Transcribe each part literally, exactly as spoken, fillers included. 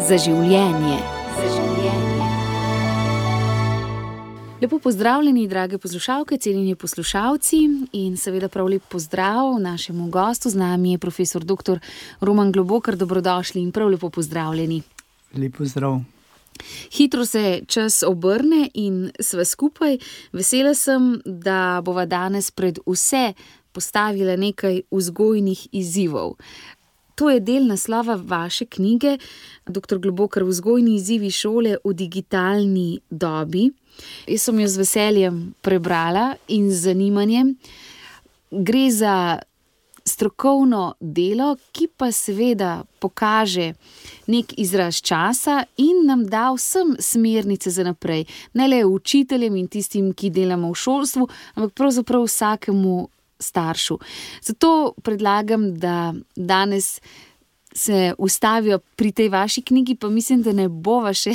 Za življenje. Za življenje. Lepo pozdravljeni, drage poslušalke, cenjeni poslušalci, in seveda prav lep pozdrav našemu gostu. Z nami je profesor doktor Roman Globokar. Dobrodošli in prav lepo pozdravljeni. Lep pozdrav. Hitro se čas obrne in sva skupaj. Vesela sem, da bova danes pred vse postavila nekaj vzgojnih izzivov. To je del naslova vaše knjige, doktor Globokar, Vzgojni izzivi šole v digitalni dobi. Jaz sem jo z veseljem prebrala in z zanimanjem. Gre za strokovno delo, ki pa seveda pokaže nek izraz časa in nam da vsem smernice za naprej. Ne le učiteljem in tistim, ki delamo v šolstvu, ampak pravzaprav vsakemu staršu. Zato predlagam, da danes se ustavijo pri tej vaši knjigi, pa mislim, da ne bova še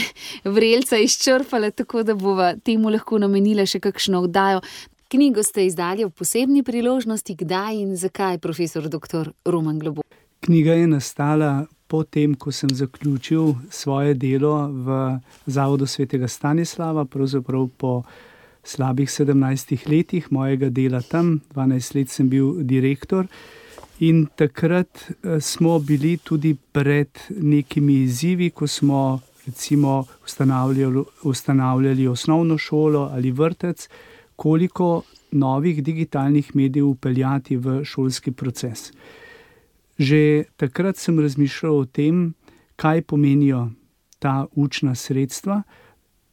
vrelca izčrpala, tako da bova temu lahko namenila še kakšno oddajo. Knjigo ste izdali ob posebni priložnosti. Kdaj in zakaj, profesor doktor Roman Globokar? Knjiga je nastala po tem, ko sem zaključil svoje delo v Zavodu svetega Stanislava, pravzaprav po slabih sedemnajstih letih mojega dela tam. dvanajst let sem bil direktor in takrat smo bili tudi pred nekimi izzivi, ko smo recimo ustanavljali, ustanavljali osnovno šolo ali vrtec, koliko novih digitalnih medijev vpeljati v šolski proces. Že takrat sem razmišljal o tem, kaj pomenijo ta učna sredstva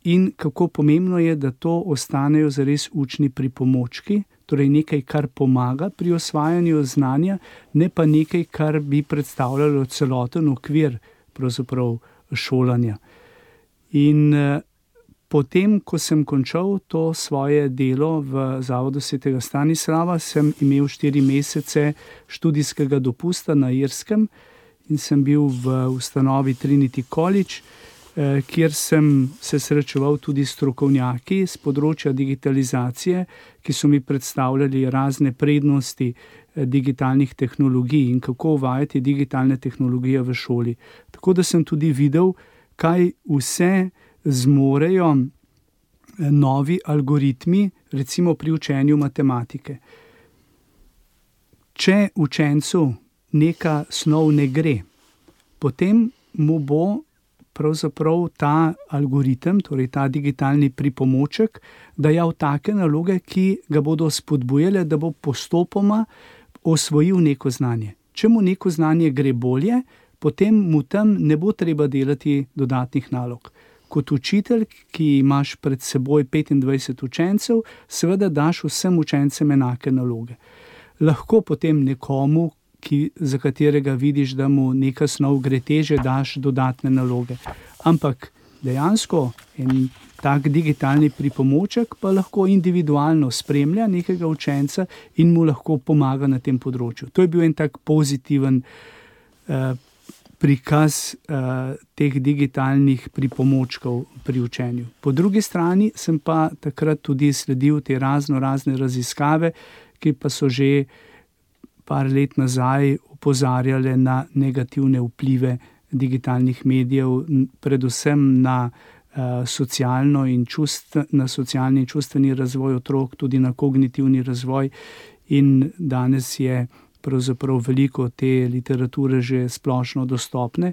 in kako pomembno je, da to ostanejo zares učni pripomočki, torej nekaj, kar pomaga pri osvajanju znanja, ne pa nekaj, kar bi predstavljalo celoten okvir pravzaprav šolanja. In potem, ko sem končal to svoje delo v Zavodu svetega Stanislava, sem imel štiri mesece študijskega dopusta na Irskem in sem bil v ustanovi Trinity College, kjer sem se srečeval tudi s strokovnjaki z področja digitalizacije, ki so mi predstavljali razne prednosti digitalnih tehnologij in kako uvajati digitalne tehnologije v šoli. Tako da sem tudi videl, kaj vse zmorejo novi algoritmi, recimo pri učenju matematike. Če učencu neka snov ne gre, potem mu bo pravzaprav ta algoritem, torej ta digitalni pripomoček, dajal take naloge, ki ga bodo spodbujale, da bo postopoma osvojil neko znanje. Če mu neko znanje gre bolje, potem mu tam ne bo treba delati dodatnih nalog. Kot učitelj, ki imaš pred seboj petindvajset učencev, seveda daš vsem učencem enake naloge. Lahko potem nekomu, ki, za katerega vidiš, da mu neka snov gre teže, daš dodatne naloge. Ampak dejansko en tak digitalni pripomoček pa lahko individualno spremlja nekega učenca in mu lahko pomaga na tem področju. To je bil en tak pozitiven eh, prikaz uh, teh digitalnih pripomočkov pri učenju. Po drugi strani sem pa takrat tudi sledil te razno razne raziskave, ki pa so že par let nazaj opozarjale na negativne vplive digitalnih medijev, predvsem na, uh, socialno in čustv, na socialni in čustveni razvoj otrok, tudi na kognitivni razvoj, in danes je pravzaprav veliko te literature že splošno dostopne.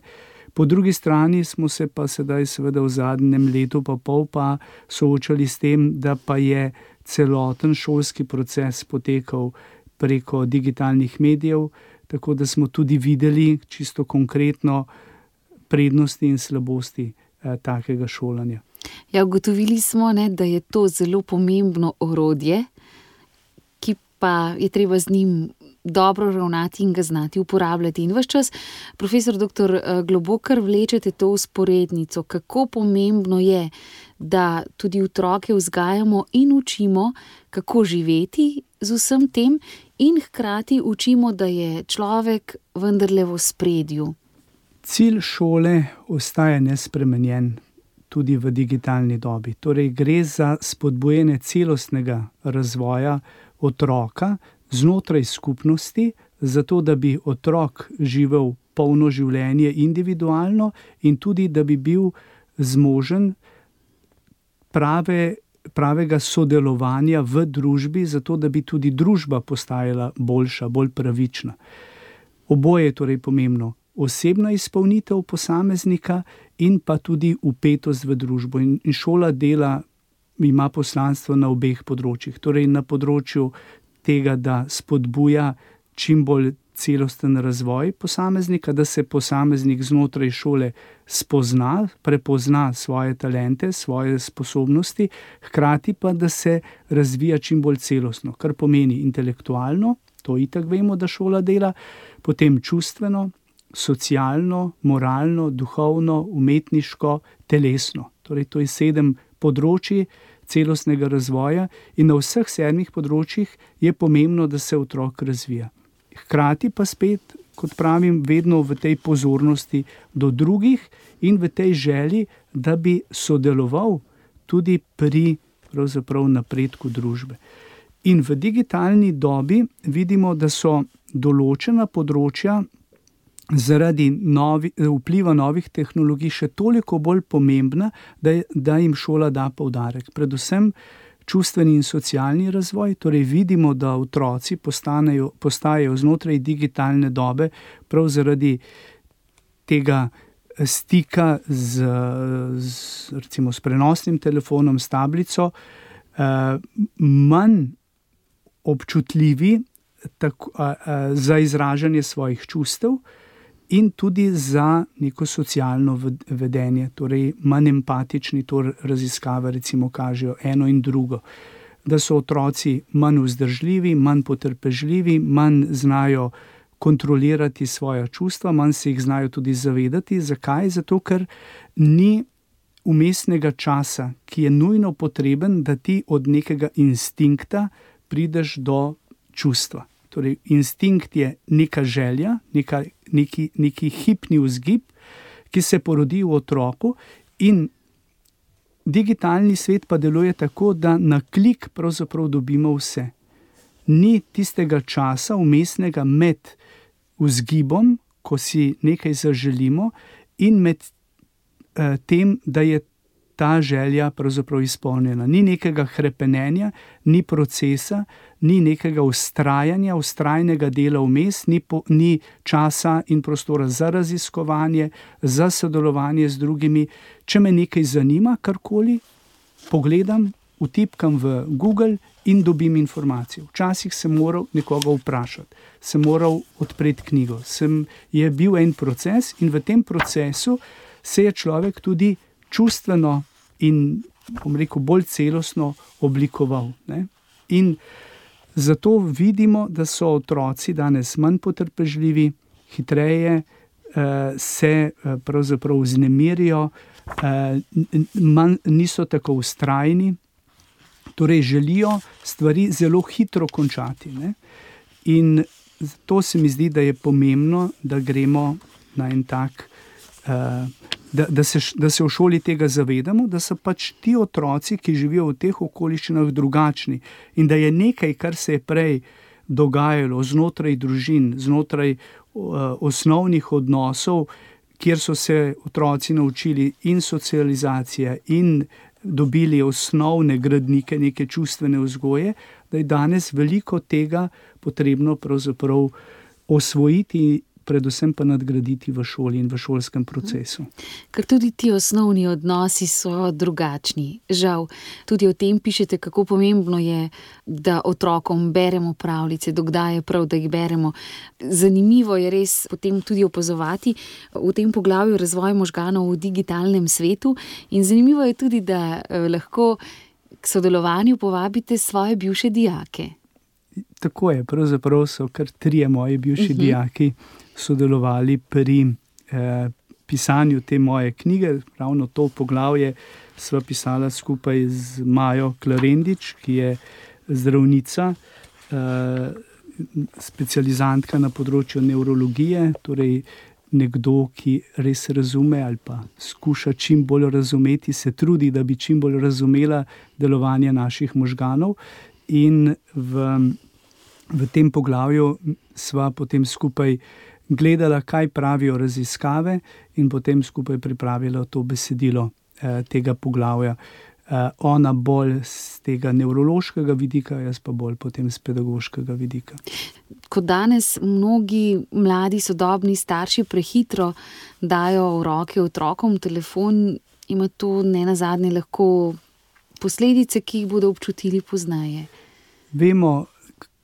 Po drugi strani smo se pa sedaj seveda v zadnjem letu pa pol pa soočali s tem, da pa je celoten šolski proces potekal preko digitalnih medijev, tako da smo tudi videli čisto konkretno prednosti in slabosti eh, takega šolanja. Ja, ugotovili smo, ne, da je to zelo pomembno orodje, ki pa je treba z njim dobro ravnati in ga znati uporabljati. In ves čas, profesor doktor Globokar, vlečete to vzporednico, kako pomembno je, da tudi otroke vzgajamo in učimo, kako živeti z vsem tem, in hkrati učimo, da je človek vendarle v ospredju. Cilj šole ostaja nespremenjen tudi v digitalni dobi. Torej gre za spodbujanje celostnega razvoja otroka znotraj skupnosti, zato da bi otrok živel polno življenje individualno in tudi, da bi bil zmožen prave, pravega sodelovanja v družbi, zato da bi tudi družba postajala boljša, bolj pravična. Oboje je torej pomembno. Osebna izpolnitev posameznika in pa tudi vpetost v družbo. In, in šola dela ima poslanstvo na obeh področjih. Torej na področju tega, da spodbuja čim bolj celosten razvoj posameznika, da se posameznik znotraj šole spozna, prepozna svoje talente, svoje sposobnosti, hkrati pa, da se razvija čim bolj celostno, kar pomeni intelektualno, to itak vemo, da šola dela, potem čustveno, socialno, moralno, duhovno, umetniško, telesno. Torej to je sedem področij celostnega razvoja in na vseh sedmih področjih je pomembno, da se otrok razvija. Hkrati pa spet, kot pravim, vedno v tej pozornosti do drugih in v tej želji, da bi sodeloval tudi pri pravzaprav napredku družbe. In v digitalni dobi vidimo, da so določena področja zaradi novi, vpliva novih tehnologij še toliko bolj pomembna, da, da jim šola da poudarek. Predvsem čustveni in socialni razvoj, torej vidimo, da otroci postanejo, postajajo znotraj digitalne dobe prav zaradi tega stika z, z, recimo, s prenosnim telefonom, s tablico, eh, manj občutljivi tako, eh, za izražanje svojih čustev in tudi za neko socialno vedenje, torej manj empatični, to raziskave recimo kažejo eno in drugo, da so otroci manj vzdržljivi, manj potrpežljivi, manj znajo kontrolirati svoja čustva, manj se jih znajo tudi zavedati. Zakaj? Zato, ker ni vmesnega časa, ki je nujno potreben, da ti od nekega instinkta prideš do čustva. Torej, instinkt je neka želja, neka, neki, neki hipni vzgib, ki se porodi v otroku in digitalni svet pa deluje tako, da na klik pravzaprav dobimo vse. Ni tistega časa vmesnega med vzgibom, ko si nekaj zaželimo, in med eh, tem, da je ta želja pravzaprav izpolnjena. Ni nekega hrepenenja, ni procesa, ni nekega vztrajanja, vztrajnega dela vmes, ni, po, ni časa in prostora za raziskovanje, za sodelovanje z drugimi. Če me nekaj zanima, karkoli, pogledam, vtipkam v Google in dobim informacijo. Včasih sem moral nekoga vprašati, sem moral odpreti knjigo, sem, je bil en proces in v tem procesu se je človek tudi čustveno in, bom rekel, bolj celostno oblikoval. Ne? In zato vidimo, da so otroci danes manj potrpežljivi, hitreje eh, se eh, pravzaprav vznemirijo, eh, manj, niso tako vztrajni, torej želijo stvari zelo hitro končati. Ne? In to se mi zdi, da je pomembno, da gremo na en tak eh, Da, da, se, da se v šoli tega zavedamo, da so pač ti otroci, ki živijo v teh okoliščinah, drugačni in da je nekaj, kar se je prej dogajalo znotraj družin, znotraj uh, osnovnih odnosov, kjer so se otroci naučili in socializacije in dobili osnovne gradnike, neke čustvene vzgoje, da je danes veliko tega potrebno pravzaprav osvojiti, predvsem pa nadgraditi v šoli in v šolskem procesu. Ker tudi ti osnovni odnosi so drugačni. Žal, tudi o tem pišete, kako pomembno je, da otrokom beremo pravljice, dokdaj je prav, da jih beremo. Zanimivo je res potem tudi opazovati v tem poglavju razvoj možganov v digitalnem svetu in zanimivo je tudi, da lahko k sodelovanju povabite svoje bivše dijake. Tako je, pravzaprav so kar trije moji bivši uh-huh. dijaki sodelovali pri eh, pisanju te moje knjige. Ravno to poglavje sva pisala skupaj z Majo Klarendič, ki je zdravnica, eh, specializantka na področju nevrologije, torej nekdo, ki res razume ali pa skuša čim bolj razumeti, se trudi, da bi čim bolj razumela delovanje naših možganov. In v, v tem poglavju sva potem skupaj gledala, kaj pravijo raziskave in potem skupaj pripravila to besedilo eh, tega poglavja. Eh, ona bolj z tega nevrološkega vidika, jaz pa bolj potem z pedagoškega vidika. Ko danes mnogi mladi sodobni starši prehitro dajo v roke otrokom telefon, ima to nenazadnje lahko posledice, ki jih bodo občutili pozneje. Vemo,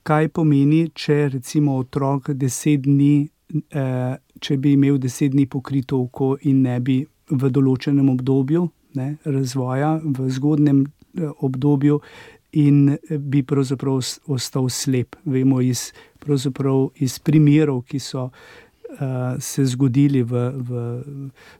kaj pomeni, če recimo otrok deset dni, eh, če bi imel deset dni pokrito oko in ne bi v določenem obdobju ne, razvoja, v zgodnem eh, obdobju in bi pravzaprav ostal slep. Vemo iz, pravzaprav iz primerov, ki so Uh, se zgodili v, v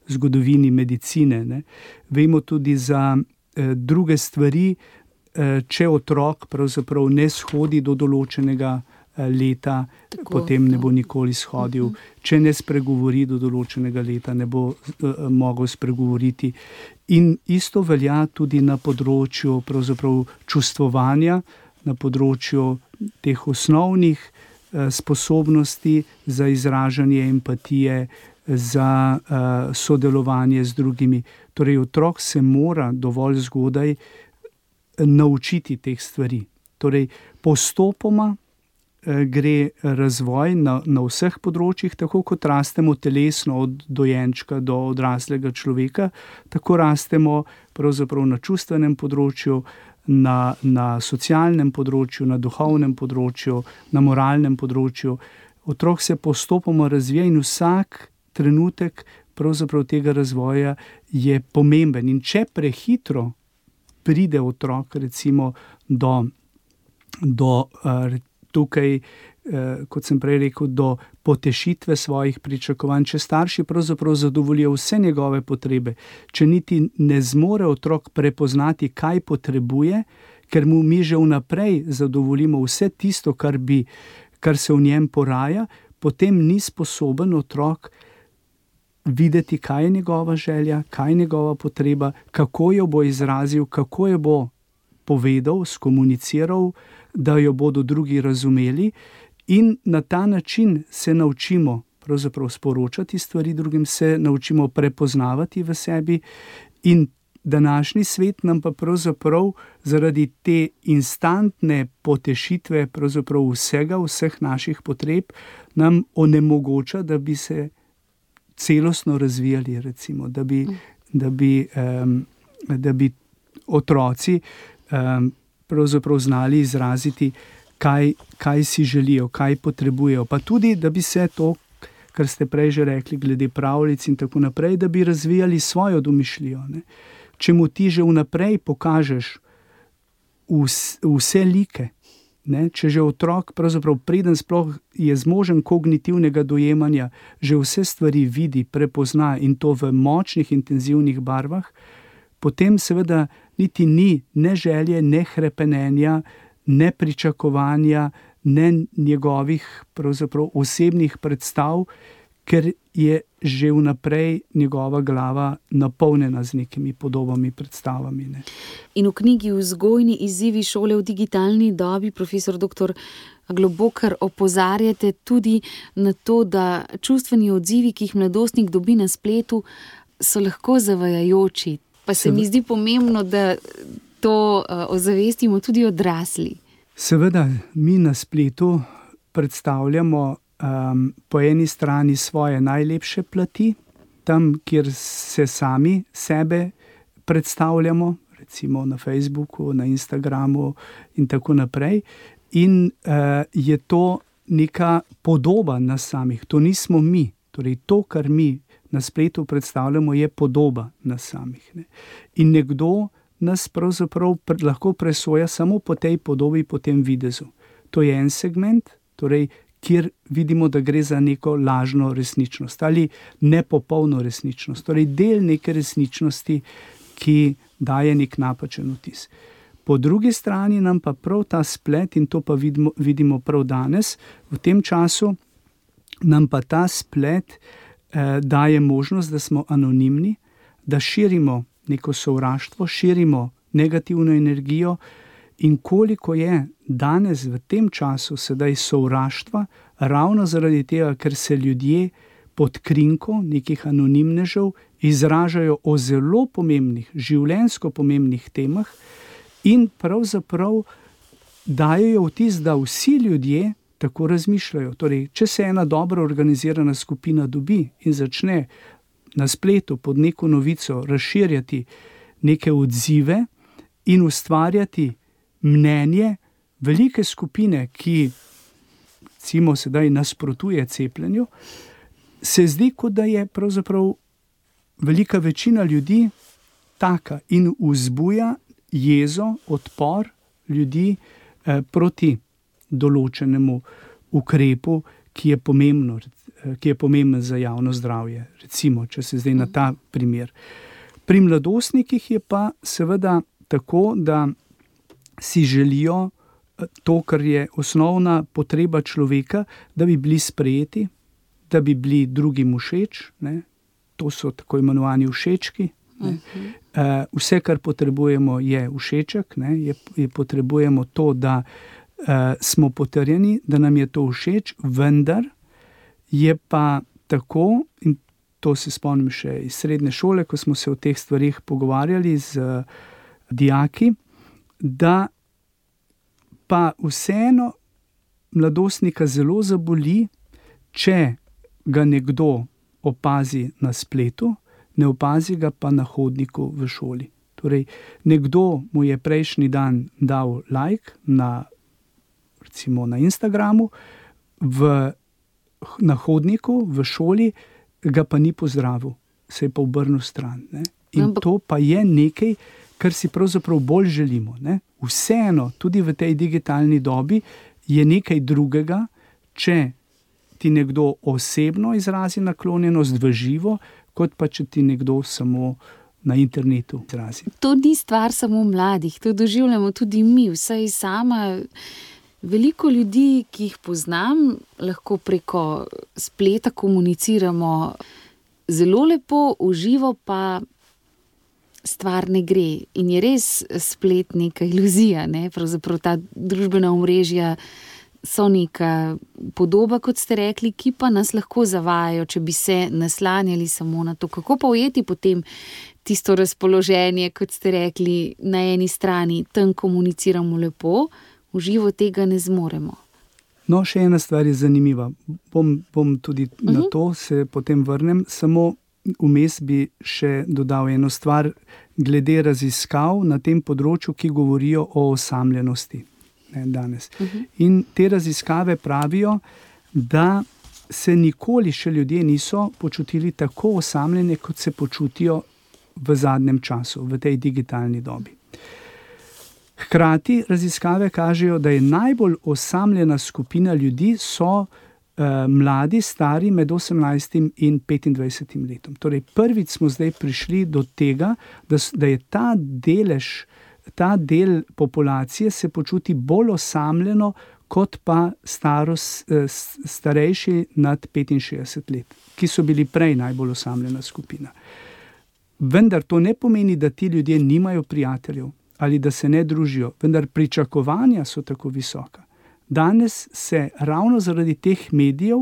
zgodovini medicine. Ne. Vemo tudi za uh, druge stvari, uh, če otrok pravzaprav ne shodi do določenega uh, leta, tako, potem ne bo nikoli shodil. Uh-huh. Če ne spregovori do določenega leta, ne bo uh, mogel spregovoriti. In isto velja tudi na področju pravzaprav čustvovanja, na področju teh osnovnih sposobnosti za izražanje empatije, za uh, sodelovanje z drugimi. Torej, otrok se mora dovolj zgodaj naučiti teh stvari. Torej, postopoma uh, gre razvoj na, na vseh področjih, tako kot rastemo telesno od dojenčka do odraslega človeka, tako rastemo pravzaprav na čustvenem področju, Na, na socialnem področju, na duhovnem področju, na moralnem področju. Otrok se postopoma razvija in vsak trenutek pravzaprav tega razvoja je pomemben. In če prehitro pride otrok recimo do, do uh, tukaj, uh, kot sem prej rekel, do potešitve svojih pričakovanj, če starši pravzaprav zadovoljijo vse njegove potrebe, če niti ne zmore otrok prepoznati, kaj potrebuje, ker mu mi že vnaprej zadovoljimo vse tisto, kar bi, kar se v njem poraja, potem ni sposoben otrok videti, kaj je njegova želja, kaj je njegova potreba, kako jo bo izrazil, kako jo bo povedal, skomuniciral, da jo bodo drugi razumeli. In na ta način se naučimo pravzaprav sporočati stvari drugim, se naučimo prepoznavati v sebi in današnji svet nam pa pravzaprav zaradi te instantne potešitve pravzaprav vsega, vseh naših potreb, nam onemogoča, da bi se celostno razvijali, recimo, da bi, da bi, um, da bi otroci um, pravzaprav znali izraziti, Kaj, kaj si želijo, kaj potrebujejo. Pa tudi, da bi se to, kar ste prej že rekli, glede pravljic in tako naprej, da bi razvijali svojo domišljijo. Ne. Če mu ti že vnaprej pokažeš vs, vse like, ne, če že otrok, pravzaprav preden sploh je zmožen kognitivnega dojemanja, že vse stvari vidi, prepozna in to v močnih, intenzivnih barvah, potem seveda niti ni ne želje, ne hrepenenja, ne pričakovanja, ne njegovih pravzaprav osebnih predstav, ker je že vnaprej njegova glava napolnjena z nekimi podobami, predstavami. Ne. In v knjigi Vzgojni izzivi šole v digitalni dobi, profesor doktor Globokar, opozarjate tudi na to, da čustveni odzivi, ki jih mladostnik dobi na spletu, so lahko zavajajoči. Pa se, se mi zdi pomembno, da to ozavestimo tudi odrasli. Seveda, mi na spletu predstavljamo um, po eni strani svoje najlepše plati, tam, kjer se sami sebe predstavljamo, recimo na Facebooku, na Instagramu in tako naprej. In uh, je to neka podoba nas samih, to nismo mi. Torej, to, kar mi na spletu predstavljamo, je podoba nas samih. Ne. In nekdo nas pravzaprav lahko presoja samo po tej podobi, po tem videzu. To je en segment, torej, kjer vidimo, da gre za neko lažno resničnost ali nepopolno resničnost, torej del neke resničnosti, ki daje nek napačen vtis. Po drugi strani nam pa prav ta splet, in to pa vidimo, vidimo prav danes, v tem času nam pa ta splet eh, daje možnost, da smo anonimni, da širimo neko sovraštvo, širimo negativno energijo in koliko je danes v tem času sedaj sovraštva, ravno zaradi tega, ker se ljudje pod krinko nekih anonimnežev izražajo o zelo pomembnih, življenjsko pomembnih temah in pravzaprav dajejo vtis, da vsi ljudje tako razmišljajo. Torej, če se ena dobro organizirana skupina dobi in začne na spletu pod neko novico razširjati neke odzive in ustvarjati mnenje velike skupine, ki recimo sedaj nasprotuje cepljenju, se zdi, kot da je pravzaprav velika večina ljudi taka in vzbuja jezo, odpor ljudi eh, proti določenemu ukrepu, ki je pomembno, ki je pomemben za javno zdravje. Recimo, če se zdaj na ta primer. Pri mladostnikih je pa seveda tako, da si želijo to, kar je osnovna potreba človeka, da bi bili sprejeti, da bi bili drugim všeč, ne? To so tako imenovani všečki. Ne? Uh, vse, kar potrebujemo, je všeček, ne? Je, je potrebujemo to, da uh, smo potrjeni, da nam je to všeč, vendar je pa tako, in to se spomnim še iz srednje šole, ko smo se o teh stvarih pogovarjali z uh, dijaki, da pa vseeno mladostnika zelo zaboli, če ga nekdo opazi na spletu, ne opazi ga pa na hodniku v šoli. Torej, nekdo mu je prejšnji dan dal like na, recimo na Instagramu, v, na hodniku v šoli ga pa ni pozdravil, se je pa obrnil stran. Ne? In to pa je nekaj, kar si pravzaprav bolj želimo. Ne? Vseeno, tudi v tej digitalni dobi je nekaj drugega, če ti nekdo osebno izrazi naklonjenost v živo, kot pa če ti nekdo samo na internetu izrazi. To ni stvar samo mladih, to doživljamo tudi mi, vsaj sama. Veliko ljudi, ki jih poznam, lahko preko spleta komuniciramo zelo lepo, v živo pa stvar ne gre. In je res splet neka iluzija, ne? Pravzaprav ta družbena omrežja so neka podoba, kot ste rekli, ki pa nas lahko zavajajo, če bi se naslanjali samo na to. Kako pa ujeti potem tisto razpoloženje, kot ste rekli, na eni strani tam komuniciramo lepo, v živo tega ne zmoremo? No, še ena stvar je zanimiva. Bom, bom tudi uh-huh. na to se potem vrnem. Samo vmes bi še dodal eno stvar glede raziskav na tem področju, ki govorijo o osamljenosti. Ne, danes. Uh-huh. In te raziskave pravijo, da se nikoli še ljudje niso počutili tako osamljene, kot se počutijo v zadnjem času, v tej digitalni dobi. Hkrati raziskave kažejo, da je najbolj osamljena skupina ljudi so eh, mladi, stari med osemnajstim in petindvajsetim letom. Torej, prvič smo zdaj prišli do tega, da, da je ta delež ta del populacije se počuti bolj osamljeno, kot pa starost, starejši nad petinšestdeset let, ki so bili prej najbolj osamljena skupina. Vendar to ne pomeni, da ti ljudje nimajo prijateljev ali da se ne družijo, vendar pričakovanja so tako visoka. Danes se ravno zaradi teh medijev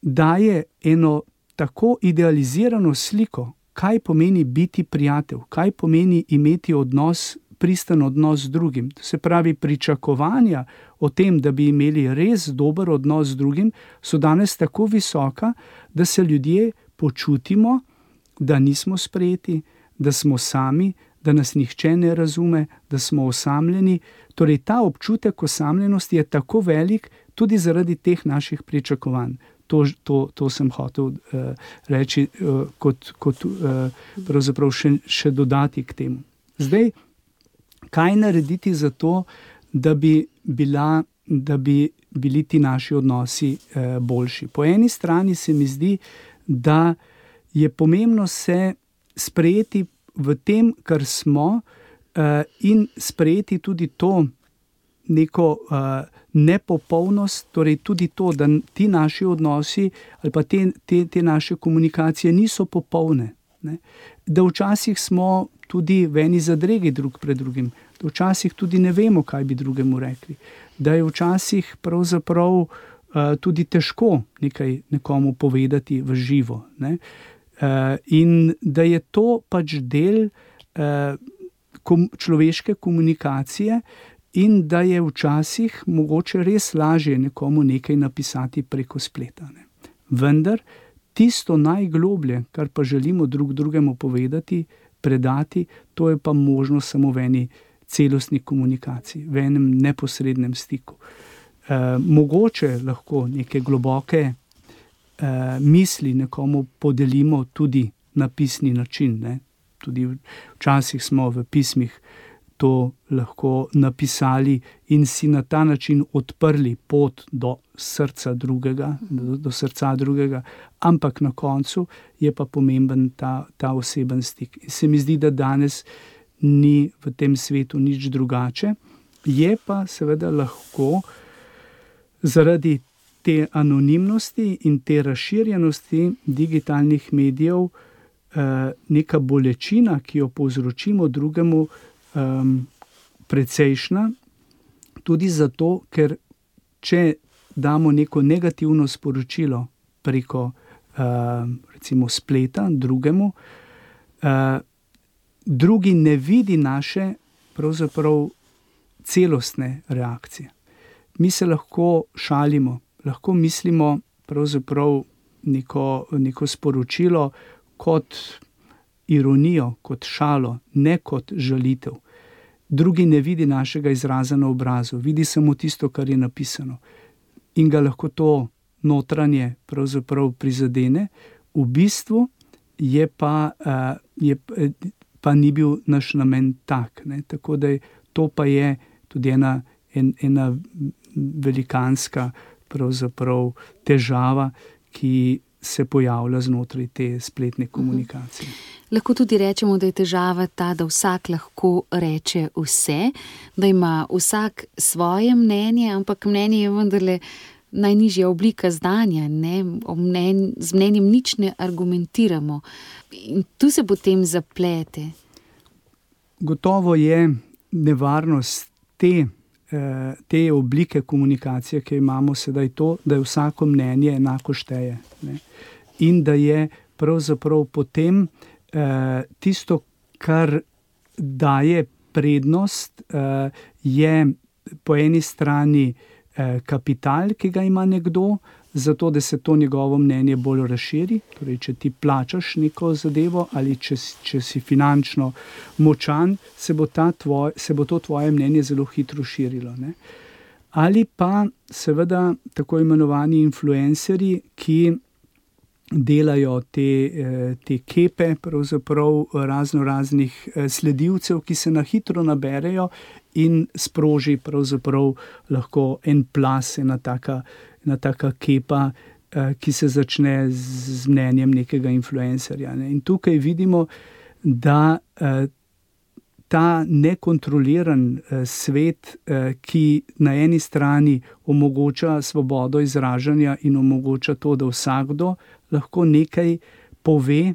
daje eno tako idealizirano sliko, kaj pomeni biti prijatelj, kaj pomeni imeti odnos, pristan odnos z drugim. Se pravi, pričakovanja o tem, da bi imeli res dober odnos z drugim, so danes tako visoka, da se ljudje počutimo, da nismo sprejeti, da smo sami, da nas nihče ne razume, da smo osamljeni. Torej, ta občutek osamljenosti je tako velik tudi zaradi teh naših pričakovanj. To, to, to sem hotel uh, reči, uh, kot, kot uh, pravzaprav še, še dodati k temu. Zdaj, kaj narediti za to, da bi, bila, da bi bili ti naši odnosi uh, boljši? Po eni strani se mi zdi, da je pomembno se sprejeti v tem, kar smo, uh, in sprejeti tudi to neko uh, nepopolnost, torej tudi to, da ti naši odnosi ali pa te, te, te naše komunikacije niso popolne. Ne? Da včasih smo tudi v eni zadregi drug pred drugim, da včasih tudi ne vemo, kaj bi drugemu rekli, da je včasih pravzaprav uh, tudi težko nekaj nekomu povedati v živo, ne. Uh, in da je to pač del uh, kom, človeške komunikacije in da je včasih mogoče res lažje nekomu nekaj napisati preko spleta, ne. Vendar tisto najgloblje, kar pa želimo drug drugemu povedati, predati, to je pa možno samo v eni celostni komunikaciji, v enem neposrednem stiku. E, mogoče lahko neke globoke e, misli nekomu podelimo tudi na pisni način, ne. Tudi včasih smo v pismih to lahko napisali in si na ta način odprli pot do srca drugega, do, do srca drugega, ampak na koncu je pa pomemben ta, ta oseben stik. In se mi zdi, da danes ni v tem svetu nič drugače, je pa seveda lahko zaradi te anonimnosti in te razširjenosti digitalnih medijev eh, neka bolečina, ki jo povzročimo drugemu, Um, precejšna, tudi zato, ker če damo neko negativno sporočilo preko uh, recimo spleta drugemu, uh, drugi ne vidi naše pravzaprav celostne reakcije. Mi se lahko šalimo, lahko mislimo pravzaprav neko, neko sporočilo kot ironijo, kot šalo, ne kot žalitev. Drugi ne vidi našega izraza na obrazu, vidi samo tisto, kar je napisano. In ga lahko to notranje pravzaprav prizadene. V bistvu je pa, uh, je, pa ni bil naš namen tak, ne. Tako da to pa je tudi ena, en, ena velikanska pravzaprav težava, ki se pojavlja znotraj te spletne komunikacije. Lahko tudi rečemo, da je težava ta, da vsak lahko reče vse, da ima vsak svoje mnenje, ampak mnenje je vendarle najnižja oblika znanja, ne? Mnen, z mnenjem nič ne argumentiramo. In tu se potem zaplete. Gotovo je nevarnost te, te oblike komunikacije, ki imamo sedaj to, da je vsako mnenje enako šteje, ne? In da je pravzaprav potem eh, tisto, kar daje prednost, eh, je po eni strani eh, kapital, ki ga ima nekdo, zato da se to njegovo mnenje bolj razširi. Torej, če ti plačaš neko zadevo ali če, če si finančno močan, se bo, ta tvoj, se bo to tvoje mnenje zelo hitro širilo, ne? Ali pa seveda tako imenovani influencerji, ki delajo te, te kepe, pravzaprav razno raznih sledilcev, ki se na hitro naberejo in sproži pravzaprav lahko en plas, ena taka, ena taka kepa, ki se začne z mnenjem nekega influencerja, ne. In tukaj vidimo, da ta nekontroliran svet, ki na eni strani omogoča svobodo izražanja in omogoča to, da vsakdo lahko nekaj pove,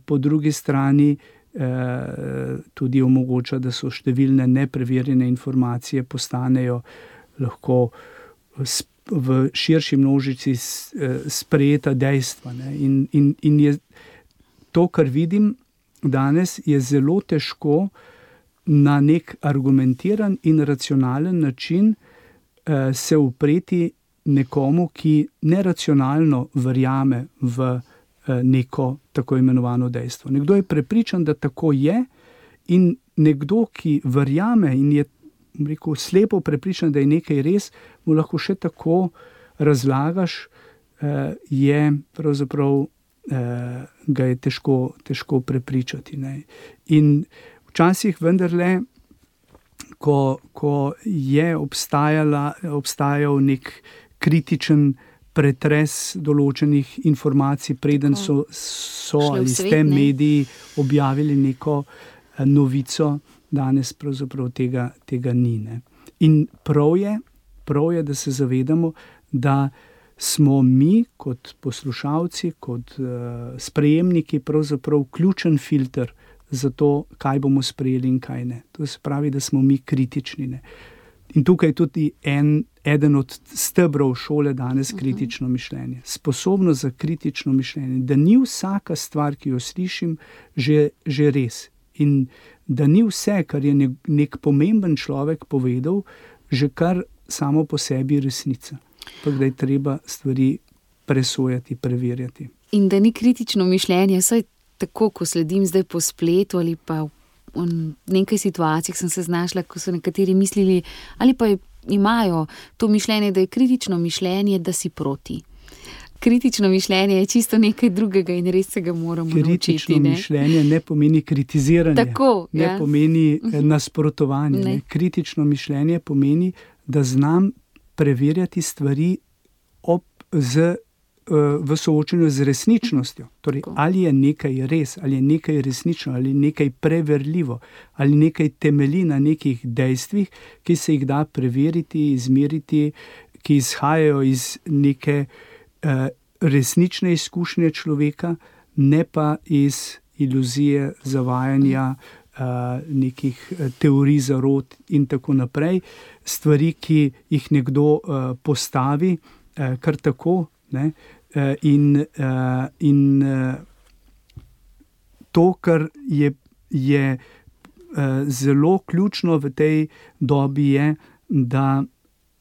po drugi strani tudi omogoča, da so številne nepreverjene informacije postanejo lahko v širši množici sprejeta dejstva, ne. In, in, in je to, kar vidim danes, je zelo težko na nek argumentiran in racionalen način eh, se upreti nekomu, ki neracionalno verjame v eh, neko tako imenovano dejstvo. Nekdo je prepričan, da tako je, in nekdo, ki verjame in je, rekel, slepo prepričan, da je nekaj res, mu lahko še tako razlagaš, eh, je pravzaprav Uh, ga je težko, težko prepričati, ne. In včasih vendarle, ko, ko je obstajal nek kritičen pretres določenih informacij, preden so, so ali s tem mediji objavili neko uh, novico, danes pravzaprav tega, tega ni, ne. In prav je, prav je, da se zavedamo, da smo mi kot poslušalci, kot uh, sprejemniki pravzaprav ključen filter za to, kaj bomo sprejeli in kaj ne. To se pravi, da smo mi kritični. Ne. In tukaj je tudi en, eden od stebrov šole danes kritično mišljenje. Sposobnost za kritično mišljenje, da ni vsaka stvar, ki jo slišim, že, že res. In da ni vse, kar je nek pomemben človek povedal, že kar samo po sebi resnica. Pa da je treba stvari presojati, preverjati. In da ni kritično mišljenje, saj tako, ko sledim zdaj po spletu ali pa v nekaj situacijah sem se znašla, ko so nekateri mislili ali pa imajo to mišljenje, da je kritično mišljenje, da si proti. Kritično mišljenje je čisto nekaj drugega in res se ga moramo kritično naučiti. Kritično mišljenje ne pomeni kritiziranje, tako, ne ja. pomeni nasprotovanje. Ne. Ne. Kritično mišljenje pomeni, da znam preverjati stvari ob, z, v soočenju z resničnostjo. Torej, ali je nekaj res, ali je nekaj resnično, ali je nekaj preverljivo, ali nekaj temelji na nekih dejstvih, ki se jih da preveriti, izmeriti, ki izhajajo iz neke uh, resnične izkušnje človeka, ne pa iz iluzije, zavajanja, uh, nekih teorij zarot in tako naprej. Stvari, ki jih nekdo uh, postavi, uh, kar tako, ne, uh, in, uh, in uh, to, kar je, je uh, zelo ključno v tej dobi, je, da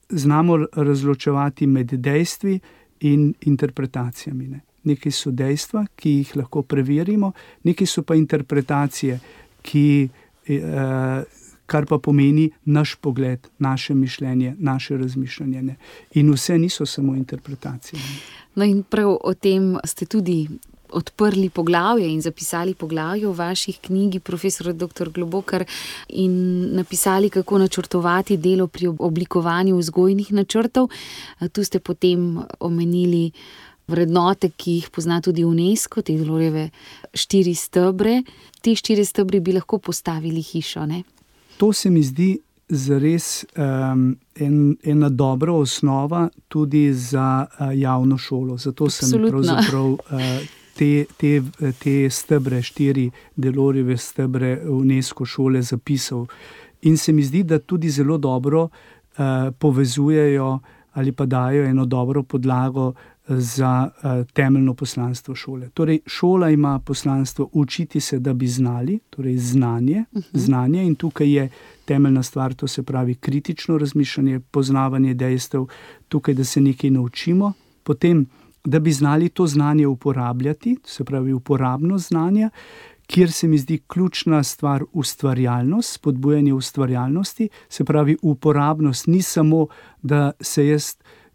znamo razločevati med dejstvi in interpretacijami. Ne. Nekaj so dejstva, ki jih lahko preverimo, nekaj so pa interpretacije, ki, uh, kar pa pomeni naš pogled, naše mišljenje, naše razmišljanje. Ne. In vse niso samo interpretacije. Ne. No in prav o tem ste tudi odprli poglavje in zapisali poglavje v vaših knjigi, profesor doktor Globokar, in napisali, kako načrtovati delo pri oblikovanju vzgojnih načrtov. Tu ste potem omenili vrednote, ki jih pozna tudi UNESCO, te Delorjeve štiri stebre. Te štiri stebre bi lahko postavili hišo, ne? To se mi zdi zares um, en, ena dobra osnova tudi za uh, javno šolo. Zato Absolutno. sem pravzaprav uh, te, te, te stebre, štiri Delorjeve stebre UNESCO šole zapisal. In se mi zdi, da tudi zelo dobro uh, povezujejo ali pa dajo eno dobro podlago za uh, temeljno poslanstvo šole. Torej, šola ima poslanstvo učiti se, da bi znali, torej znanje, uh-huh. znanje in tukaj je temeljna stvar, to se pravi kritično razmišljanje, poznavanje dejstev, tukaj, da se nekaj naučimo, potem, da bi znali to znanje uporabljati, to se pravi uporabnost znanja, kjer se mi zdi ključna stvar ustvarjalnost, spodbujanje ustvarjalnosti, se pravi uporabnost ni samo, da se jaz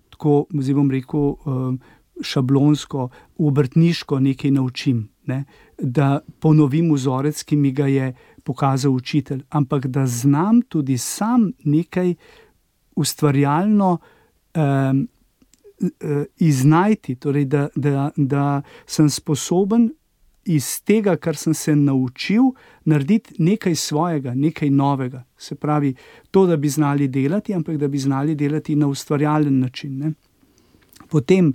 tako, zdaj bom rekel, šablonsko, obrtniško nekaj naučim, ne? Da ponovim vzorec, ki mi ga je pokazal učitelj, ampak da znam tudi sam nekaj ustvarjalno um, iznajti, torej da, da, da sem sposoben iz tega, kar sem se naučil, narediti nekaj svojega, nekaj novega. Se pravi, to, da bi znali delati, ampak da bi znali delati na ustvarjalen način. Ne? Potem,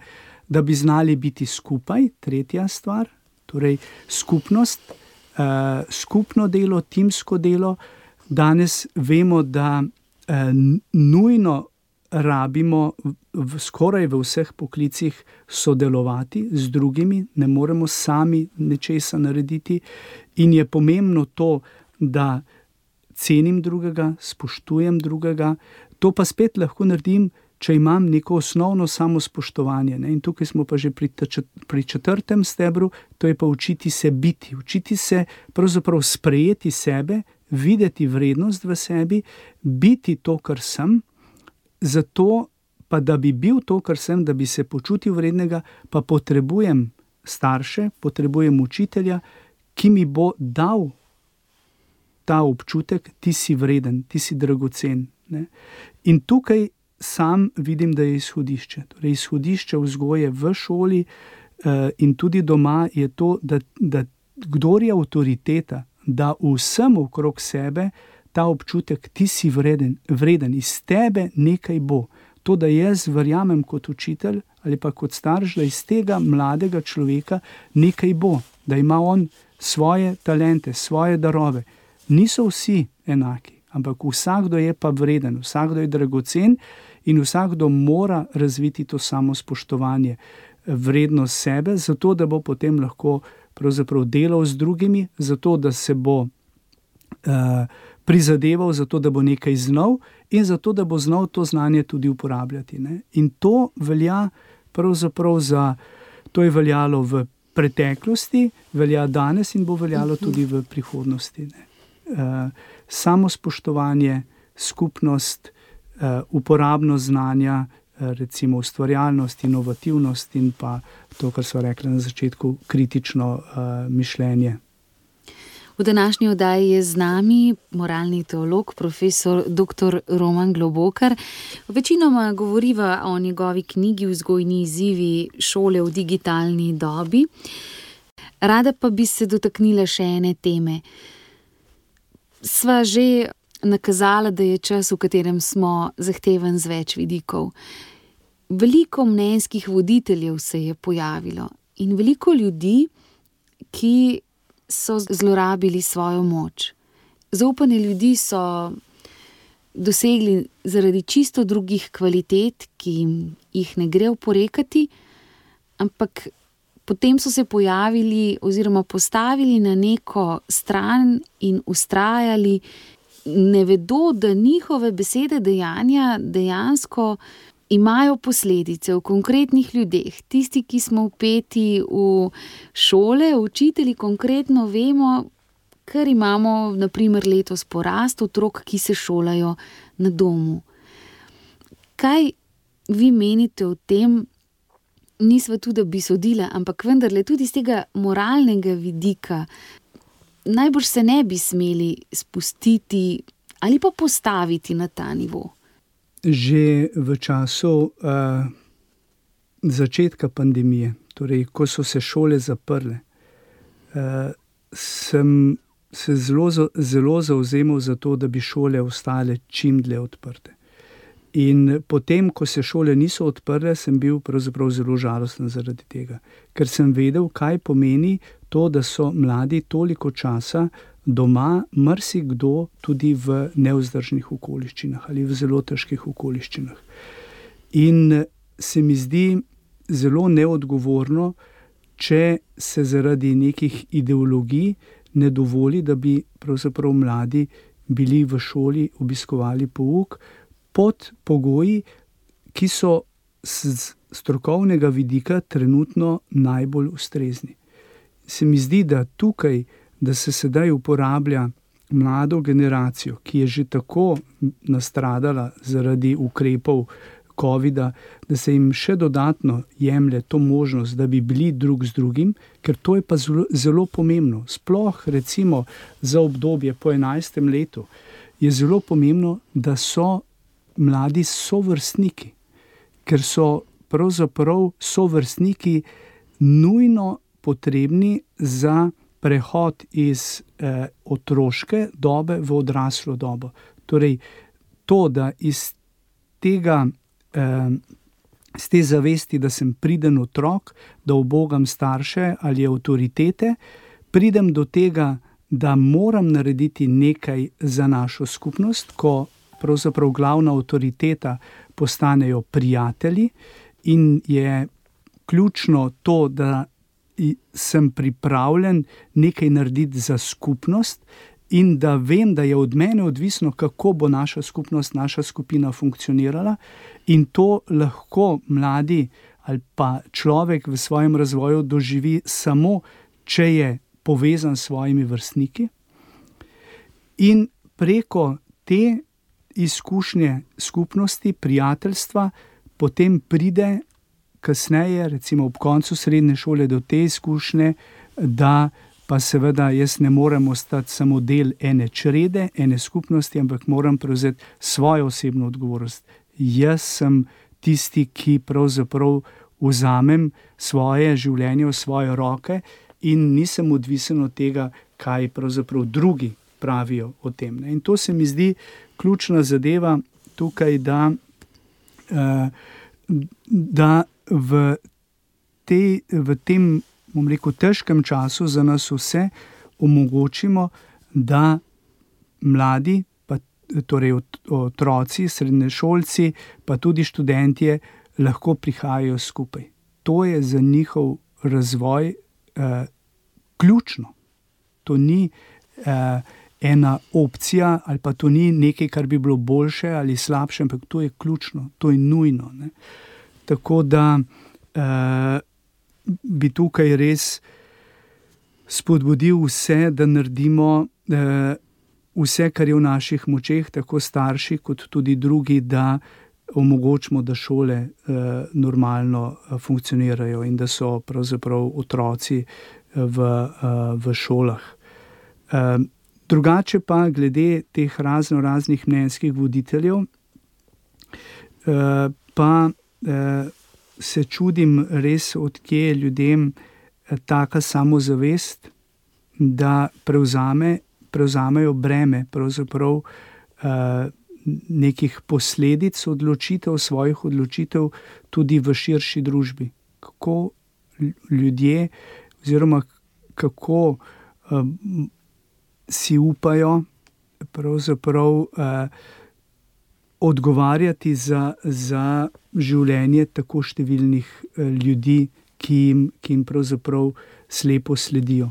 da bi znali biti skupaj, tretja stvar, torej skupnost, uh, skupno delo, timsko delo. Danes vemo, da uh, nujno rabimo v, skoraj v vseh poklicih sodelovati z drugimi, ne moremo sami nečesa narediti in je pomembno to, da cenim drugega, spoštujem drugega, to pa spet lahko naredim, če imam neko osnovno samospoštovanje. Ne? In tukaj smo pa že pri, pri četrtem stebru, to je pa učiti se biti, učiti se pravzaprav sprejeti sebe, videti vrednost v sebi, biti to, kar sem. Zato pa, da bi bil to, kar sem, da bi se počutil vrednega, pa potrebujem starše, potrebujem učitelja, ki mi bo dal ta občutek, ti si vreden, ti si dragocen. Ne? In tukaj sam vidim, da je izhodišče. Torej, izhodišče vzgoje v šoli uh, in tudi doma je to, da, da kdor je avtoriteta, da vsem okrog sebe ta občutek, ti si vreden, vreden, iz tebe nekaj bo. To, da jaz verjamem kot učitelj ali pa kot starš, da iz tega mladega človeka nekaj bo. da ima on svoje talente, svoje darove. Niso vsi enaki, ampak vsakdo je pa vreden, vsakdo je dragocen in vsakdo mora razviti to samospoštovanje, vrednost sebe, zato da bo potem lahko pravzaprav delal z drugimi, zato da se bo uh, prizadeval, zato da bo nekaj znal in zato da bo znal to znanje tudi uporabljati. Ne? In to velja pravzaprav za, to je veljalo v preteklosti, velja danes in bo veljalo tudi v prihodnosti. Ne? Uh, samospoštovanje, skupnost, uh, uporabnost znanja, uh, recimo ustvarjalnost, inovativnost in pa to, kar so rekli na začetku, kritično uh, mišljenje. V današnji oddaji je z nami moralni teolog, profesor doktor Roman Globokar. Večinoma govoriva o njegovi knjigi Vzgojni izzivi šole v digitalni dobi. Rada pa bi se dotaknila še ene teme. Sva že nakazala, da je čas, v katerem smo, zahteven z več vidikov. Veliko mnenjskih voditeljev se je pojavilo in veliko ljudi, ki so zlorabili svojo moč. Zaupanje ljudi so dosegli zaradi čisto drugih kvalitet, ki jih ne gre oporekati, ampak potem so se pojavili oziroma postavili na neko stran in vztrajali, ne vedo, da njihove besede, dejanja dejansko imajo posledice v konkretnih ljudeh. Tisti, ki smo vpeti v šole, učitelji konkretno vemo, ker imamo na primer letos porast otrok, ki se šolajo na domu. Kaj vi menite o tem? Nisva tudi, da bi sodila, ampak vendarle tudi z tega moralnega vidika najbolj se ne bi smeli spustiti ali pa postaviti na ta nivo. Že v času uh, začetka pandemije, torej ko so se šole zaprle, uh, sem se zelo, zelo zavzemal za to, da bi šole ostale čim dlje odprte. In potem, ko se šole niso odprle, sem bil pravzaprav zelo žalosten zaradi tega, ker sem vedel, kaj pomeni to, da so mladi toliko časa doma, marsikdo tudi v nevzdržnih okoliščinah ali v zelo težkih okoliščinah. In se mi zdi zelo neodgovorno, če se zaradi nekih ideologij ne dovoli, da bi pravzaprav mladi bili v šoli, obiskovali pouk pod pogoji, ki so z strokovnega vidika trenutno najbolj ustrezni. Se mi zdi, da tukaj, da se sedaj uporablja mlado generacijo, ki je že tako nastradala zaradi ukrepov covida, da se jim še dodatno jemlje to možnost, da bi bili drug z drugim, ker to je pa zelo, zelo pomembno. Sploh recimo za obdobje po enajstem letu je zelo pomembno, da so mladi sovrstniki, ker so pravzaprav sovrstniki nujno potrebni za prehod iz eh, otroške dobe v odraslo dobo. Torej, to, da iz tega, eh, z te zavesti, da sem priden otrok, da ubogam starše ali avtoritete, pridem do tega, da moram narediti nekaj za našo skupnost, ko pravzaprav glavna avtoriteta postanejo prijatelji in je ključno to, da sem pripravljen nekaj narediti za skupnost in da vem, da je od mene odvisno, kako bo naša skupnost, naša skupina funkcionirala, in to lahko mladi ali pa človek v svojem razvoju doživi samo, če je povezan s svojimi vrstniki. In preko te izkušnje skupnosti, prijateljstva, potem pride kasneje, recimo ob koncu srednje šole, do te izkušnje, da pa seveda jaz ne morem ostati samo del ene črede, ene skupnosti, ampak moram prevzeti svojo osebno odgovornost. Jaz sem tisti, ki pravzaprav vzamem svoje življenje v svoje roke in nisem odvisen od tega, kaj pravzaprav drugi pravijo o tem. In to se mi zdi ključna zadeva tukaj, da, da v, te, v tem bom rekel, težkem času za nas vse omogočimo, da mladi, pa, torej otroci, srednješolci, pa tudi študentje lahko prihajajo skupaj. To je za njihov razvoj eh, ključno. To ni eh, ena opcija ali pa to ni nekaj, kar bi bilo boljše ali slabše, ampak to je ključno, to je nujno. Ne? Tako da eh, bi tukaj res spodbudil vse, da naredimo eh, vse, kar je v naših močeh, tako starši kot tudi drugi, da omogočimo, da šole eh, normalno funkcionirajo in da so pravzaprav otroci v, eh, v šolah. Eh, drugače pa glede teh razno raznih mnenjskih voditeljev, eh, pa eh, se čudim res, odkje ljudem taka samozavest, da prevzame, prevzamejo breme pravzaprav eh, nekih posledic odločitev, svojih odločitev tudi v širši družbi. Kako ljudje oziroma kako uh, si upajo pravzaprav uh, odgovarjati za, za življenje tako številnih uh, ljudi, ki jim, ki jim pravzaprav slepo sledijo.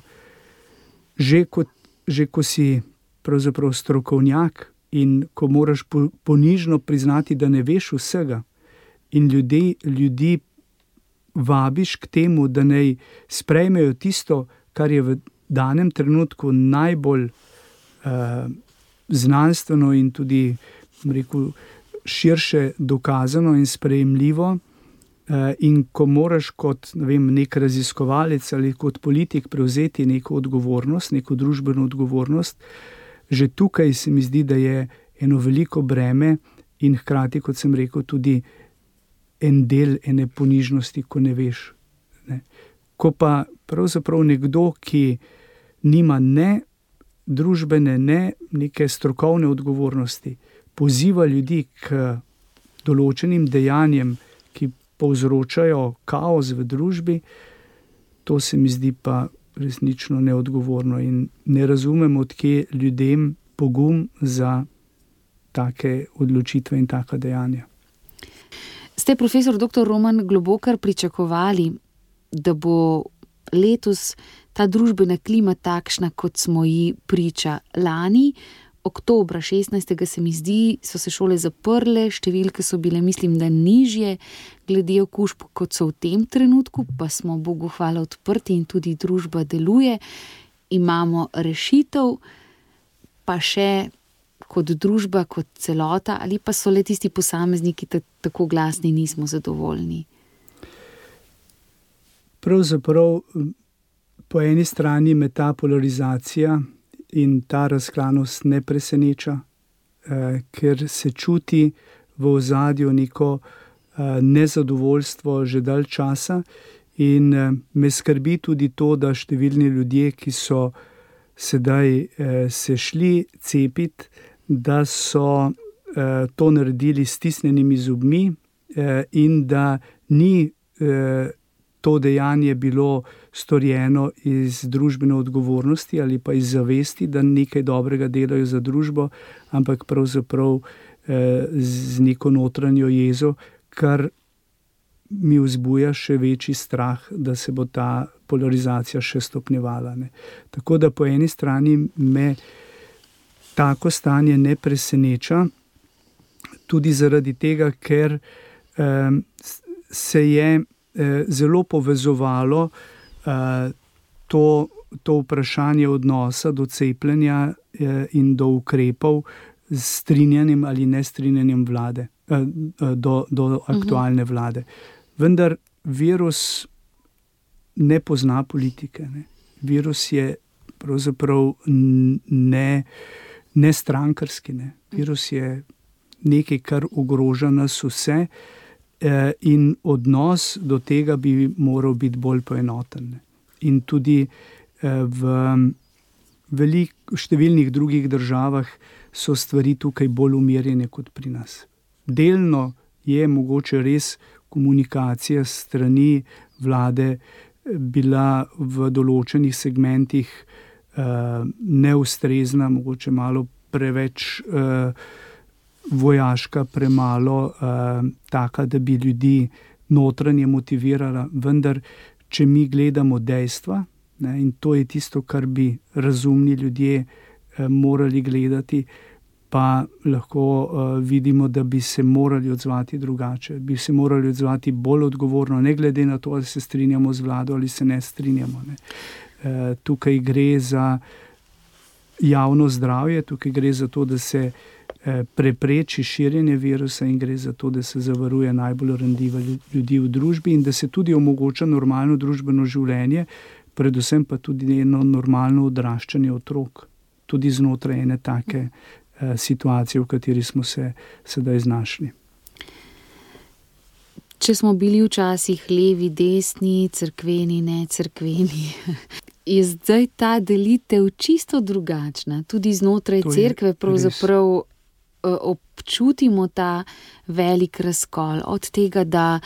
Že, kot, že ko si pravzaprav strokovnjak, in ko moraš ponižno priznati, da ne veš vsega, in ljudi, ljudi vabiš k temu, da naj sprejmejo tisto, kar je v danem trenutku najbolj uh, znanstveno in tudi, rekel, širše dokazano in sprejemljivo, uh, in ko moraš kot, ne vem, nek raziskovalec ali kot politik prevzeti neko odgovornost, neko družbeno odgovornost, že tukaj se mi zdi, da je eno veliko breme in hkrati, kot sem rekel, tudi en del ene ponižnosti, ko ne veš. Ne. Ko pa pravzaprav nekdo, ki nima ne družbene, ne neke strokovne odgovornosti, poziva ljudi k določenim dejanjem, ki povzročajo kaos v družbi, to se mi zdi pa resnično neodgovorno in ne razumem, odkje ljudem pogum za take odločitve in taka dejanja. Ste, profesor doktor Roman Globokar, pričakovali, da bo letos ta družbena klima takšna, kot smo ji priča lani? Oktobra šestnajstega se mi zdi, so se šole zaprle, številke so bile, mislim, da nižje glede okužb, kot so v tem trenutku, pa smo Bogu hvala odprti in tudi družba deluje. Imamo rešitev, pa še kot družba, kot celota, ali pa so le tisti posamezniki tako glasni, nismo zadovoljni? Pravzaprav po eni strani me ta polarizacija in ta razklanost ne preseneča, eh, ker se čuti v ozadju neko eh, nezadovoljstvo že dalj časa in eh, me skrbi tudi to, da številni ljudje, ki so sedaj eh, se šli cepiti, da so eh, to naredili s stisnjenimi zobmi eh, in da ni eh, to dejanje bilo storjeno iz družbene odgovornosti ali pa iz zavesti, da nekaj dobrega delajo za družbo, ampak pravzaprav eh, z neko notranjo jezo, kar mi vzbuja še večji strah, da se bo ta polarizacija še stopnjevala. Ne. Tako da po eni strani me tako stanje ne preseneča, tudi zaradi tega, ker eh, se je zelo povezovalo uh, to, to vprašanje odnosa do cepljenja uh, in do ukrepov s strinjanjem ali nestrinjanjem vlade, uh, do, do aktualne vlade. Vendar virus ne pozna politike. Ne. Virus je pravzaprav ne, ne strankarski. Ne. Virus je nekaj, kar ogroža nas vse, in odnos do tega bi moral biti bolj poenoten. In tudi v velik, številnih drugih državah so stvari tukaj bolj umirjene kot pri nas. Delno je mogoče res komunikacija strani vlade bila v določenih segmentih uh, neustrezna, mogoče malo preveč uh, vojaška, premalo uh, taka, da bi ljudi notranje motivirala, vendar če mi gledamo dejstva, ne, in to je tisto, kar bi razumni ljudje uh, morali gledati, pa lahko uh, vidimo, da bi se morali odzvati drugače, bi se morali odzvati bolj odgovorno, ne glede na to, ali se strinjamo z vlado ali se ne strinjamo. Ne. Uh, tukaj gre za javno zdravje, tukaj gre za to, da se uh, prepreči širjenje virusa in gre za to, da se zavaruje najbolj ranljive ljudi v družbi in da se tudi omogoča normalno družbeno življenje, predvsem pa tudi eno normalno odraščanje otrok, tudi znotraj ene take situacije, v kateri smo se sedaj znašli. Če smo bili včasih levi, desni, cerkveni, ne cerkveni, je zdaj ta delitev čisto drugačna. Tudi znotraj cerkve pravzaprav občutimo ta velik razkol. Od tega, da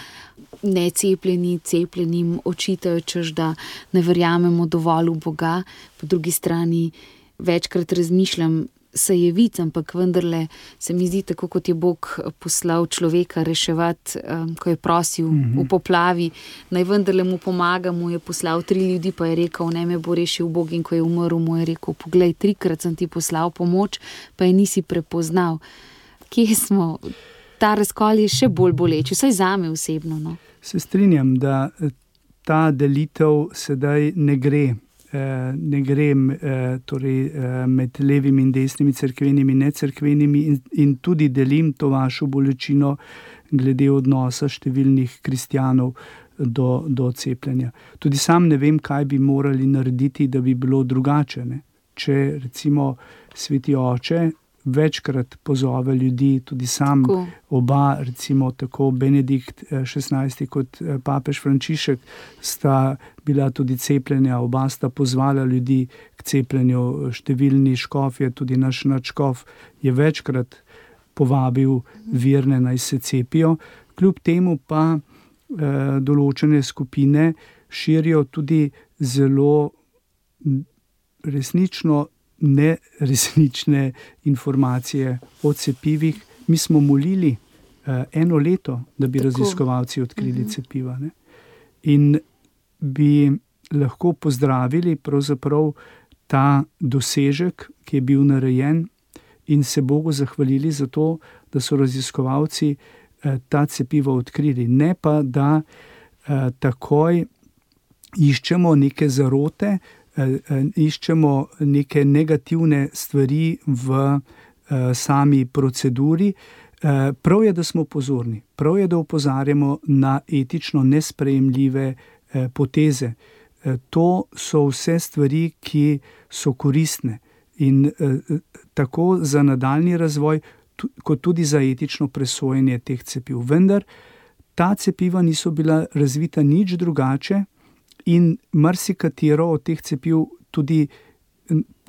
necepljeni cepljenim očitajo, češ da ne verjamemo dovolj v Boga, po drugi strani večkrat razmišljam, se je vic, ampak vendarle se mi zdi, tako kot je Bog poslal človeka reševati, um, ko je prosil mm-hmm. v poplavi, naj vendarle mu pomaga, mu je poslal tri ljudi, pa je rekel, ne me bo rešil Bog, in ko je umrl, mu je rekel, poglej, trikrat sem ti poslal pomoč, pa je nisi prepoznal. Kje smo? Ta razkol je še bolj boleč, vsaj zame osebno. No? Se strinjam, da ta delitev sedaj ne gre. ne gre torej, med levimi in desnimi, cerkvenimi in necerkvenimi in, in tudi delim to vašo bolečino glede odnosa številnih kristjanov do, do cepljenja. Tudi sam ne vem, kaj bi morali narediti, da bi bilo drugače. Ne? Če recimo Sveti Oče večkrat pozove ljudi, tudi sam, tako. Oba, recimo tako Benedikt šestnajsti kot papež Frančišek sta bila tudi cepljenja, oba sta pozvala ljudi k cepljenju, številni škofje, tudi naš nadškof je večkrat povabil verne naj se cepijo, kljub temu pa eh, določene skupine širijo tudi zelo resnično neresnične informacije o cepivih. Mi smo molili uh, eno leto, da bi Tako. raziskovalci odkrili uh-huh. cepiva. Ne? In bi lahko pozdravili pravzaprav ta dosežek, ki je bil narejen, in se Bogu zahvalili za to, da so raziskovalci uh, ta cepiva odkrili. Ne pa, da uh, takoj iščemo neke zarote, iščemo neke negativne stvari v uh, sami proceduri. Uh, prav je, da smo pozorni, prav je, da opozarjamo na etično nesprejemljive uh, poteze. Uh, to so vse stvari, ki so koristne in uh, tako za nadaljni razvoj, tu, kot tudi za etično presojanje teh cepiv. Vendar ta cepiva niso bila razvita nič drugače, in marsikatero od teh cepiv tudi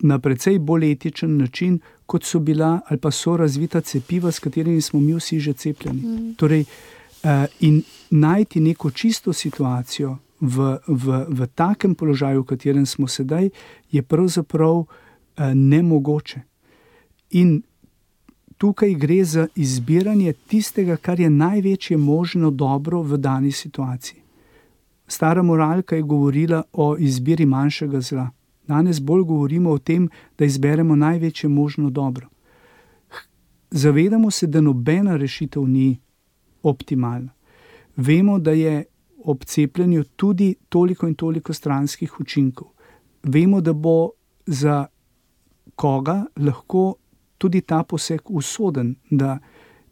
na precej bolj etičen način, kot so bila ali pa so razvita cepiva, s katerimi smo mi vsi že cepljeni. Mm. Torej, uh, in najti neko čisto situacijo v, v, v takem položaju, v katerem smo sedaj, je pravzaprav uh, nemogoče. In tukaj gre za izbiranje tistega, kar je največje možno dobro v dani situaciji. Stara moralka je govorila o izbiri manjšega zla. Danes bolj govorimo o tem, da izberemo največje možno dobro. Zavedamo se, da nobena rešitev ni optimalna. Vemo, da je ob cepljenju tudi toliko in toliko stranskih učinkov. Vemo, da bo za koga lahko tudi ta poseg usoden, da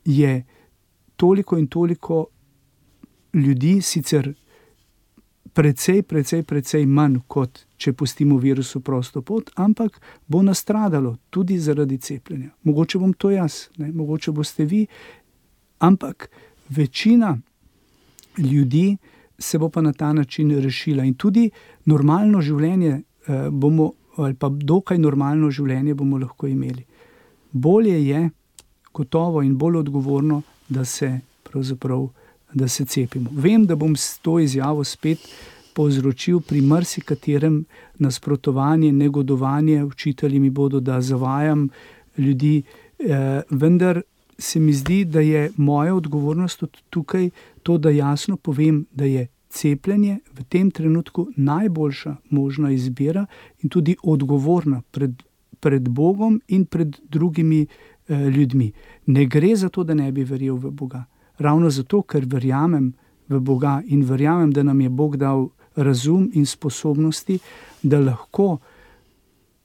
je toliko in toliko ljudi sicer precej, precej, precej manj, kot če pustimo virusu prosto pot, ampak bo nastradalo tudi zaradi cepljenja. Mogoče bom to jaz, ne? Mogoče boste vi, ampak večina ljudi se bo pa na ta način rešila in tudi normalno življenje eh, bomo, ali pa dokaj normalno življenje bomo lahko imeli. Bolje je, gotovo in bolj odgovorno, da se pravzaprav da se cepimo. Vem, da bom s to izjavo spet povzročil pri marsikaterem nasprotovanje, negodovanje. Učitelji mi bodo, da zavajam ljudi, eh, vendar se mi zdi, da je moja odgovornost tudi tukaj to, da jasno povem, da je cepljenje v tem trenutku najboljša možna izbira in tudi odgovorna pred, pred Bogom in pred drugimi eh, ljudmi. Ne gre za to, da ne bi verjel v Boga. Ravno zato, ker verjamem v Boga in verjamem, da nam je Bog dal razum in sposobnosti, da lahko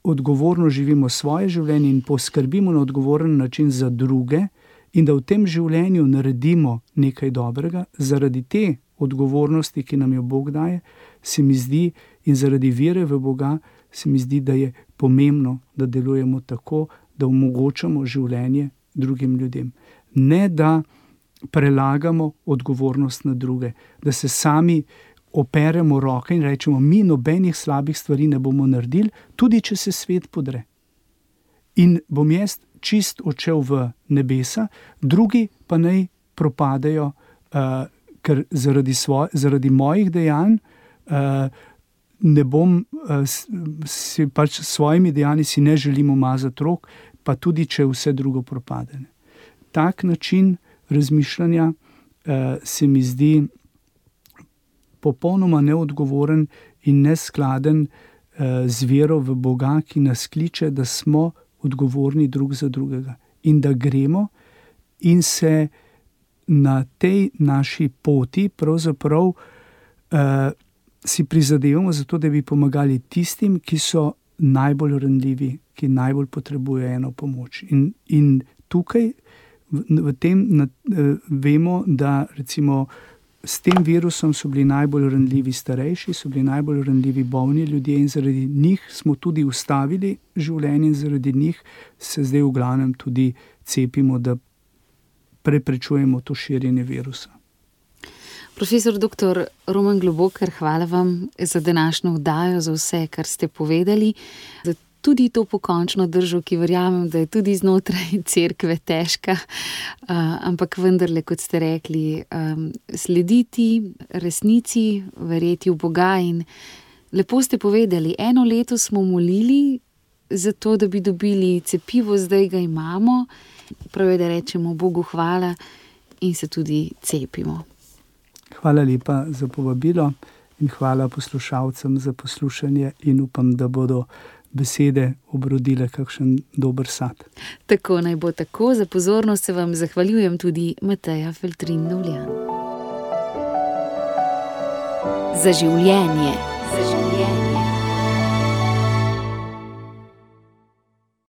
odgovorno živimo svoje življenje in poskrbimo na odgovoren način za druge in da v tem življenju naredimo nekaj dobrega, zaradi te odgovornosti, ki nam jo Bog daje, se mi zdi, in zaradi vere v Boga, se mi zdi, da je pomembno, da delujemo tako, da omogočamo življenje drugim ljudem. Ne da prelagamo odgovornost na druge, da se sami operemo roke in rečemo, mi nobenih slabih stvari ne bomo naredili, tudi če se svet podre. In bom jaz čist odšel v nebesa, drugi pa naj propadajo, uh, ker zaradi, svoj, zaradi mojih dejanj uh, ne bom, uh, si pač s svojimi dejanji si ne želim umazati rok, pa tudi če vse drugo propade. Tak način razmišljanja uh, se mi zdi popolnoma neodgovoren in neskladen uh, z vero v Boga, ki nas kliče, da smo odgovorni drug za drugega in da gremo in se na tej naši poti pravzaprav uh, si prizadevamo za to, da bi pomagali tistim, ki so najbolj ranljivi, ki najbolj potrebujejo eno pomoč. In, in tukaj v, v tem na, uh, vemo, da recimo s tem virusom so bili najbolj ranljivi starejši, so bili najbolj ranljivi bolni ljudje in zaradi njih smo tudi ustavili življenje in zaradi njih se zdaj v glavnem tudi cepimo, da preprečujemo to širjenje virusa. Profesor doktor Roman Globoker, hvala vam za današnjo oddajo, za vse, kar ste povedali, za tudi to pokončno držo, ki verjamem, da je tudi znotraj cerkve težka, uh, ampak vendarle, kot ste rekli, um, slediti resnici, verjeti v Boga in lepo ste povedali, eno leto smo molili za to, da bi dobili cepivo, zdaj ga imamo, prav je, da rečemo Bogu hvala in se tudi cepimo. Hvala lepa za povabilo in hvala poslušalcem za poslušanje in upam, da bodo besede obrodile kakšen dober sad. Tako naj bo tako. Za pozornost se vam zahvaljujem tudi Mateja Feltrin-Dovljan. Za življenje. Za življenje.